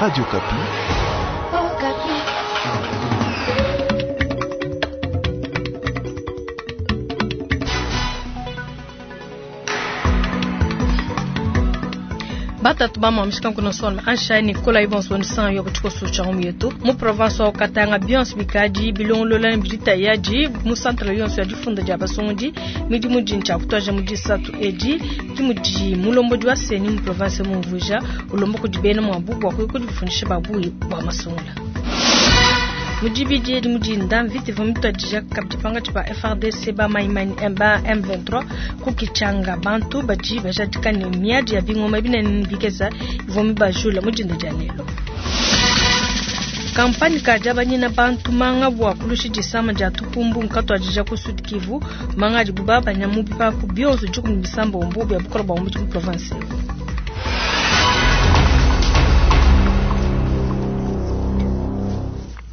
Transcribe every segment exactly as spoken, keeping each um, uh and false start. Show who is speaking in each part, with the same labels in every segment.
Speaker 1: Radio Okapi.
Speaker 2: Batatu bamwamishika nkuna sona ansha Nicolas Ibonso nisan yo kutshikoso tsha yetu mu province wa Katanga bionso bikadi bilongolola ne bidita yadi mu centre yonso ya difunda dia basungudi midimu dini tsha kutwaja mu disatu edi dimudi mulombodi wa CENI mu province mumvuja ulomba kudi bena muabu bua kuya kudifundisha babuyi bua masungula. Mudibidi edi mudinda mvita ivua mituadija kabidi pangatshi pa F A R D C ba Maimani ba M vingt-trois ku Kitshanga bantu badi bajadika ne miadi ya bingoma binene bikesa ivua mibajula mudinda dia lelo. Kampani ka diabanyina bantu manga bua kulusha disama dia tupumbu nkatuadija ku Sud Kivu manga adibu babanya mu bipapu bionso dikumi bisambombo bia bukola bua mu province.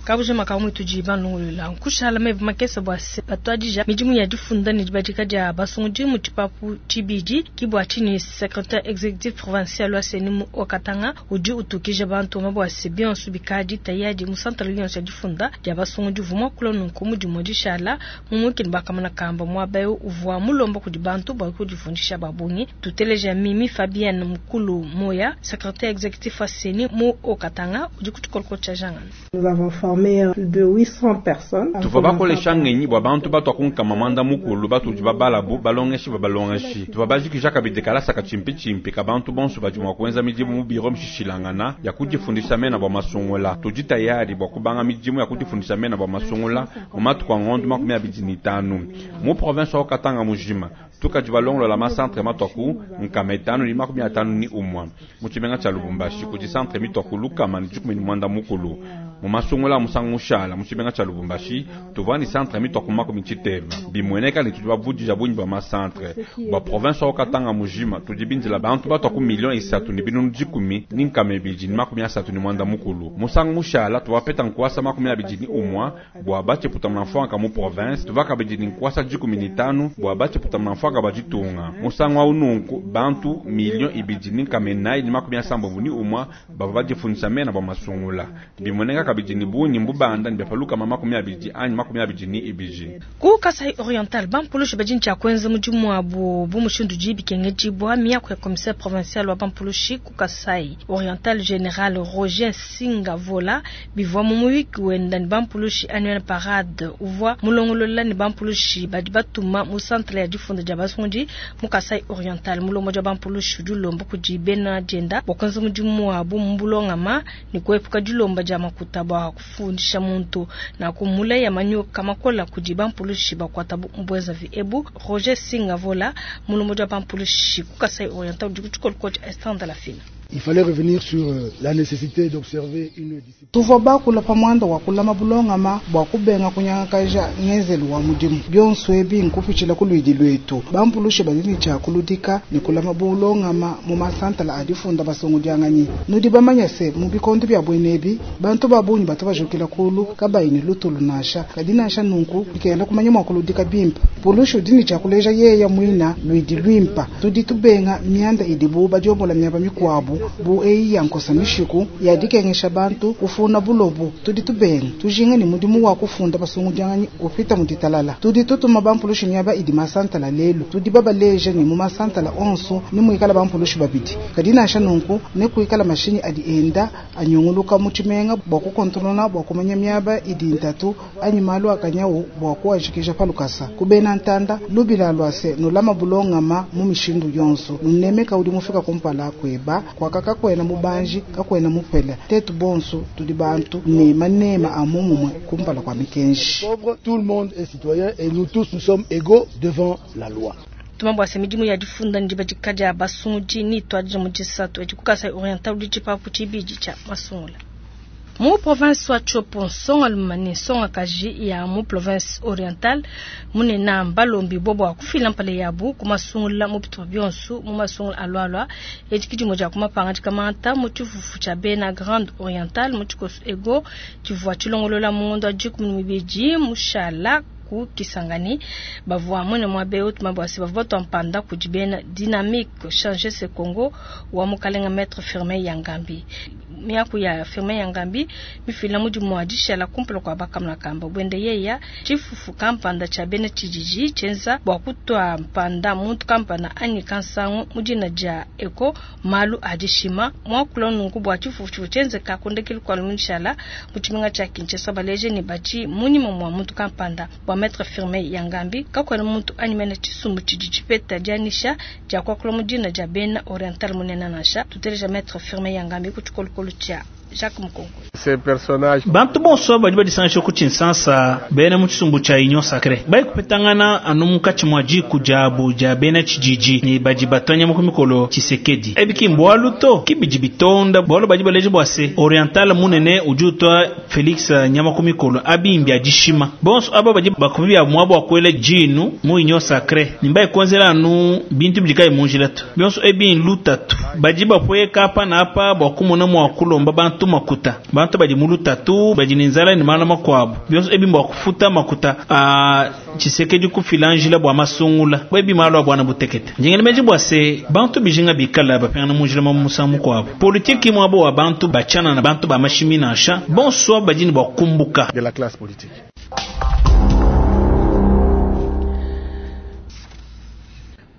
Speaker 2: Kabuja makamu tudi banungulula nkushala mebe makesa bua se batuadija midimu ya difunda ne dibadika dia basungudi mu tshipapu tshibidi ki bua tshinyi secrétaire exécutif provincial wa CENI mu Haut-Katanga udi utukija bantu ma bua se bionso bikadi tayadi mu centre yonso ya difunda dia basungudi vuma kula nunku mudimu dishala mu mukini bakamana kamba muaba eu uvua mulomba kudi bantu bua kudifundisha babungi tuteleja Mimi Fabienne Mukulu Moya secrétaire exécutif wa CENI mu Haut-Katanga udi kutukoloko tshia jangana.
Speaker 3: Nous avons formé plus de huit cents personnes.
Speaker 4: Tuvua bakolesha ngenyi bua bantu batua kunkama mwanda mukulu batudi babalabu balongeshi babalongeshi. Tuvua bajikija kabidi kalasa katshimpi-tshimpi ka bantu bonso badi mua kuenza midimu mu biro mishishilangana ya kudifundisha mena bua masungula. Tudi tayari bua kubanga midimu ya kudifundisha mena bua masungula mu matuku a ngondo makumi abidi ne itanu. Mu province wa Katanga mujima tukadi balongolola ma centre matuaku nkama itanu ne makumi atanu ni umwa. Mu tshimenga tshia Lubumbashi kudi centre mituaku lukama ne dikumi ne mwanda mukulu. Mu masungula musangu mushala mu tshimenga tshia Lubumbashi tuvua ni centre mituaku makumi tshitema. Bimueneka ne tudi bavudija bungi bua ma centre. Bua province wa Katanga mujima tudi bindila bantu batuaku million isatu ne binunu dikumi ni nkama ibidi ne makumi asatu ne mwanda mukulu. Musangu mushala tuvua peta nkuasa makumi abidi ni umwa bua batshiputa mfwanka mu province, tuvua kabidi ni nkuasa dikumi ne tanu bua batshiputa mfwanka ba ditunga. Musangu wa ununku bantu million ibidi ni nkama inayi ne makumi asambombo ni umwa bavua badifundisha mena bua masungula. Bimueneka kabidi ni bungi mbubanda ni byapaluka makumi abidi anyi makumi abidi ni ibidi.
Speaker 2: Ku Kasai Oriental bampulushi badi ntshia kuenza mudimu wabu bu mushindu udi bikengedibua miaku ya commissaire provincial wa bampulushi ku Kasai Oriental General Roger Singavola bivua mu muyuki wenda ni bampulushi annuel parade uvua mulongolola ni bampulushi badi batuma mu centre ya difunda dia basundi mu Kasai Oriental mulongo dia bampulushi udi ulomba kudi bena dienda bua kuenza mudimu wabu mu bulongama ni kuepuka dilomba dia makuta bua kufundisha muntu na kumula ya manyoka makola kudi bampulushi bakwata mbweza vi ebu Roger Singavola mulongo dia bampulushi ku Kasai Oriental udi kutshikolo tshia Instant de la Fine.
Speaker 5: Il fallait revenir sur la nécessité d'observer une discipline.
Speaker 6: Tuvua bakula pamwanda wa kulama bulongama bua kubenga kunyangakaja ngenzelu wa mudimu. Bionso ebi nkupitshila ku luidi lwetu. Bampulushi badi ne tshia kuludika ne kulama bulongama mu masantala a difunda basungudianganyi. Nudi bamanya se mu bikondo bia bwenebi bantu ba bungi batu bajukila kulu kabayi ne lutulu nansha. Kadi nansha nunku bikenda kumanya mua kuludika bimpe. Pulushi udi ne tshia kuleja yeya muina luidi luimpa. Tudi tubenga mianda idibu badiobola miaba mikuabu bu eyi ya nkosa mishiku ya dikengesha bantu kufuna bulobu. Tudi tubenga tujinga ni mudimu wa kufunda basungudianganyi upita mu ditalala. Tudi tutuma bampulushi miaba idi masantala lelu. Tudi babaleja ni mu masantala onso ni muikala bampulushi babidi. Kadi nansha nunku ne kuikala mashinyi adi enda anyunguluka mu tshimenga bua kukontrolona bua kumanya miaba idi ntatu anyi malu akanyawu bua kuajikija palukasa. Kubena ntanda lubila lwa se nulama bulongama mu mishindu yonso. Nunemeka udi mufika kumpala kweba kwa kakwena mubanji kakwena mupele tetu bonso tudi bantu ne manema a mumumwe kumpala kwa mikenji.
Speaker 5: Tout le monde est citoyen et nous tous nous sommes égaux devant la loi.
Speaker 2: Tumambo ase midimu ya difunda ndibadika dia basungudi ni twadija mu disatu edi ku Kasai Oriental udi tshipapu tshibidi tshia masungula. Mu province wa Tshopo nsonga lumane nsonga kaji ya mu province orientale munena mbalombi bobo akufila mpale yabu ku masungula mu bitupa bionso mu masungula alwalwa edi kidimo dia kumapanga dikamata mu tshifufu tshia bena Grande Orientale mu tshikoso ego tshivua tshilongolola mu ngondo wa dikumi ne mibidi mushala ku Kisangani bavua mwene mwa beo tumabwasi bavua twampanda kudi bena dynamique changer ce Congo wa mukalenga maître Firmin Yangambi Miaku ya Firmin Yangambi mifila mudimu wa dishala kumpala kua bakamuna kamba bwende yeya tshifufu kampanda tsha bena tshididi tshienza bua kutua mpanda muntu kampanda anyi kansangu mudina dia eko malu adishima mwakula nunku bua tshifufu tshivu tshienzeka kundekelu kwa lumushala mutshiminga tsha Kinshasa baleje ne bachi munyima mwa muntu kampanda bua maître Firmin Yangambi kakwena muntu anyi mena tshisumbu tshidi tshipeta dianisha dia kwakula mudina dia bena oriental munene nansha tuteleja maître Firmin Yangambi ku tshikolokolo tshia Jacques Mukongo.
Speaker 1: Bantu bonso badi badisangisha ku Tshinsansa bena mu tshisumbu tshia Union Sacrée bali kupetangana anu munkatshi mua diku diabu dia bena tshididi ne badi batwanya mu mikolo Tshisekedi ebi mbwalu to kibidi bitonda bwalu badi baleje bua se oriental munene udi utwa Felix nyama ku mikolo abimbi adishima bonso aba badi bakubia mwabo akwele jinu mu Union Sacrée nimba ikonzela anu bintu bidikaye munjila tu bionso ebi lutatu badi bapweka apa na apa bwa kumona mwa kulomba bantu makuta bantu badi mulutatu badi nzala ni mana makwabo bionso ebi mbwa kufuta makuta a Tshisekedi kufila njila bwa masungula bwebi malo bwana butekete njengene meji bwa se bantu bijinga bikala bapengana munjila ma musangu kwabo politiki mwabo wa bantu bachana na bantu ba mashimi nansha bonso badi ni bwa kumbuka
Speaker 7: de la classe politique.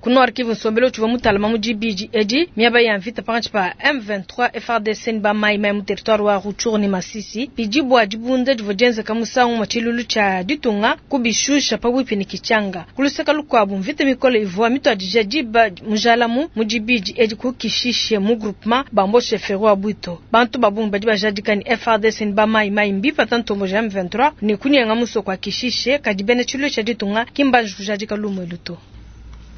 Speaker 2: Kuno arkivu nsombelo tshivua mutalama mu dibidi edi miaba ya mvita pakatshi pa M vingt-trois F R D C ni ba mai mai mu territoire wa Rutshuru ni Masisi bidi bua dibunda divua dienzeka musangu mwa tshilulu tshia ditunga kubishusha pabuipi ni Kichanga kuluseka lukuabu mvita mikole ivua mituadija diba mujalamu mu dibidi edi kukishishe mu groupement bambo chefferie wa Bwito bantu babungi badi bajadika ni F R D C ni ba mai mai mbipa tantombo ja M vingt-trois ni kunyenga musoko wa Kishishe kadi bena tshilulu tshia ditunga kimbanji kujadika lumwe luto.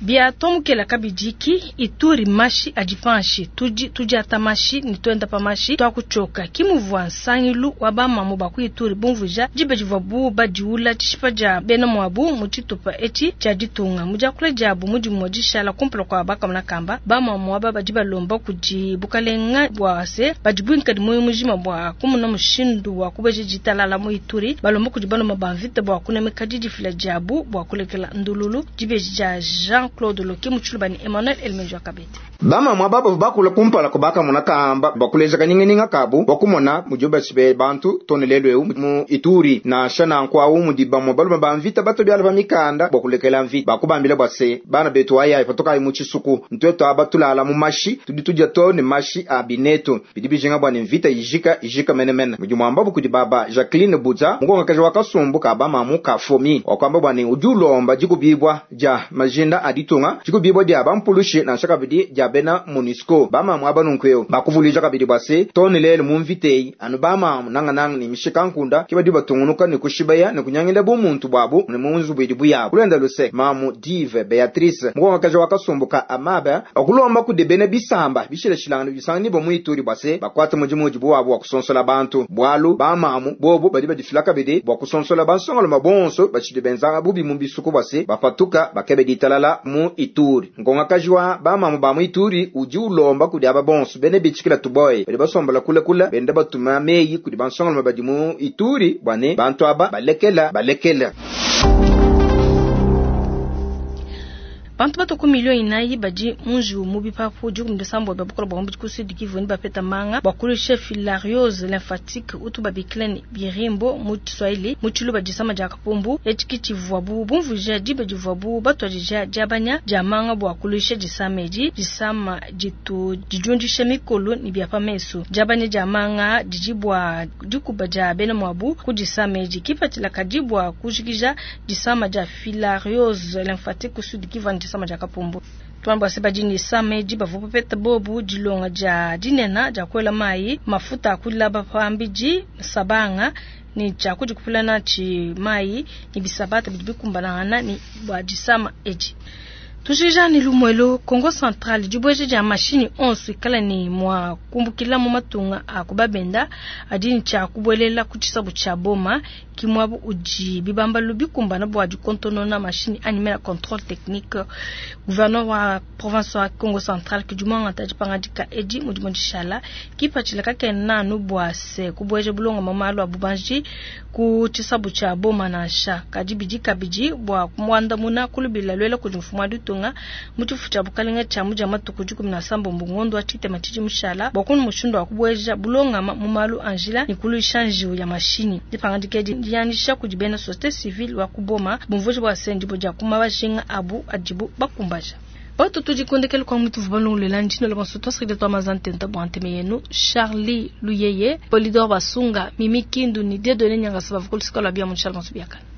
Speaker 2: Bia tomukela kabidiki ituri mashi adipanshi tuji tuji atamashi ni twenda pamashi twakuchoka kimuvwa nsangilu wa bamamu baku ituri bumvuja jibe jivwa bu badiula tshishipa dia bena mwabu mu tshitupa etshi tshia ditunga mudiakula diabu mudimu dishala kumpala kwa bakamuna kamba bamamu aba badi balomba kudi bukalenga bwa se badi buinkadi moyo mujima bwa kumuna mushindu wa kubeje ditalala mu ituri balomba kudi baloma bamvita bwa kunemeka didifila diabu bwa kulekela ndululu jibe dia Jean Claude Loki Mutshulubani Emmanuel Elmenjo Kabete.
Speaker 8: Bama mwa baba bakula kumpala kubaka muna kamba bakuleza kaningininga kabu bakumona mujoba sibe bantu tonelelwe mu ituri na shana nkwawu mudiba mu baluma bamvita bato byala bamikanda bakulekela mvita bakubambila bwase bana betu aya patoka mu chisuku ntweto abatulala mu mashi tudi tujya to ne mashi abineto bidi bijinga bwa mvita ijika ijika menemene mujumwamba bukudi baba Jacqueline Buza ngonga kaje wakasumbu kaba mamu kafomi wakwamba bwa ne ujulomba jikubibwa ja majinda aditunga jikubibwa dia bampulushi na shaka bidi ja bena Monisco bamamu abanunkweo bakuvulija kabidi bwase tonelele mu mvitei anu bamamu nanga nanga ni mishika nkunda kibadi batungunuka ni kushibaya ni kunyangila bumuntu bwabu ni munzu bwidi buyabo kulenda luse mamu Dive Beatrice mukonga kaje wakasumbuka amaba okulomba kudebene bisamba bishileshilanga bisanga nibo muituri bwase bakwata mujimu mujibu wabo wakusonsola bantu bwalu bamamu bobo badi badifila kabidi bwa kusonsola bansongolo mabonso bachidi benzanga bubi mu bisuku bwase bapatuka bakebe ditalala mu ituri ngonga kajwa bamamu ba mu ituri uji ulomba kudi aba bonso bene bichikila tuboy badi basombola kula kula benda batuma meyi kudi bansongolo badi mu ituri bwane bantu aba balekela balekela.
Speaker 2: Bantu batoko milioni inayi badi munju mubi papu dikumi disambo bia bukola bwa mubidi ku Sud Kivu ni bapeta manga bwa kulusha filariose lymphatique utu babikila ni birimbo mu Kiswahili mu Tshiluba disama dia kapumbu etshi tshivua bu bumvuja dibe divua bu batuadija diabanya dia manga bwa kulusha disama edi disama ditu didiundisha mikolo ni bia pamesu diabanya dia manga didi bua dikuba dia bena mwabu ku disama edi kipatshila kadi bua kujikija disama dia filariose lymphatique ku Sud Kivu disama dia kapumbu. Twamba se badini sameji bavupa peta bobu dilonga dia dinena dia kwela mai mafuta akulaba pambiji sabanga ni cha kujikupulana chi mai ni bisabata bidibikumbalana ni bwa disama eji. Tushija ni lumwelo Kongo Central dibweje dia mashini onso ikala ni mwa kumbukila mu matunga akubabenda adini cha kubwelela kuchisabu cha boma kimwabu uji bibamba lubikumbana bwa dikontonona mashini animela contrôle technique gouverneur wa province wa Kongo Central kidumanga tajipanga dika edi mudimo dishala kipachila kakena no bwa se kubweje bulonga mamalo abubanji ku chisabu cha boma na sha kadibidi kabidi bwa kumwanda muna kulubila lwela kudi mfumu ditunga mu tshifu tshia bukalenga tshia mu dia matuku dikumi na sambombo ngondo wa tshitema tshidi mushala bua kunu mushindu wa kubueja bulongama mu malu a njila ne kuluisha njiwu ya mashinyi. Dipangadika edi ndianyisha kudi bena société civile wa ku Boma bumvuija bua se ndibo dia kuma bajinga abu adibu bakumbaja. Batu tudikondekele kwa mwitu vubalongolela njino la banso twasakile twa mazantenta bwa nteme yenu Charlie Luyeye Polidor Basunga Mimi Kindu ni Dieudonné Nyangasa bavukulisika lwa bia munshala banso biakana.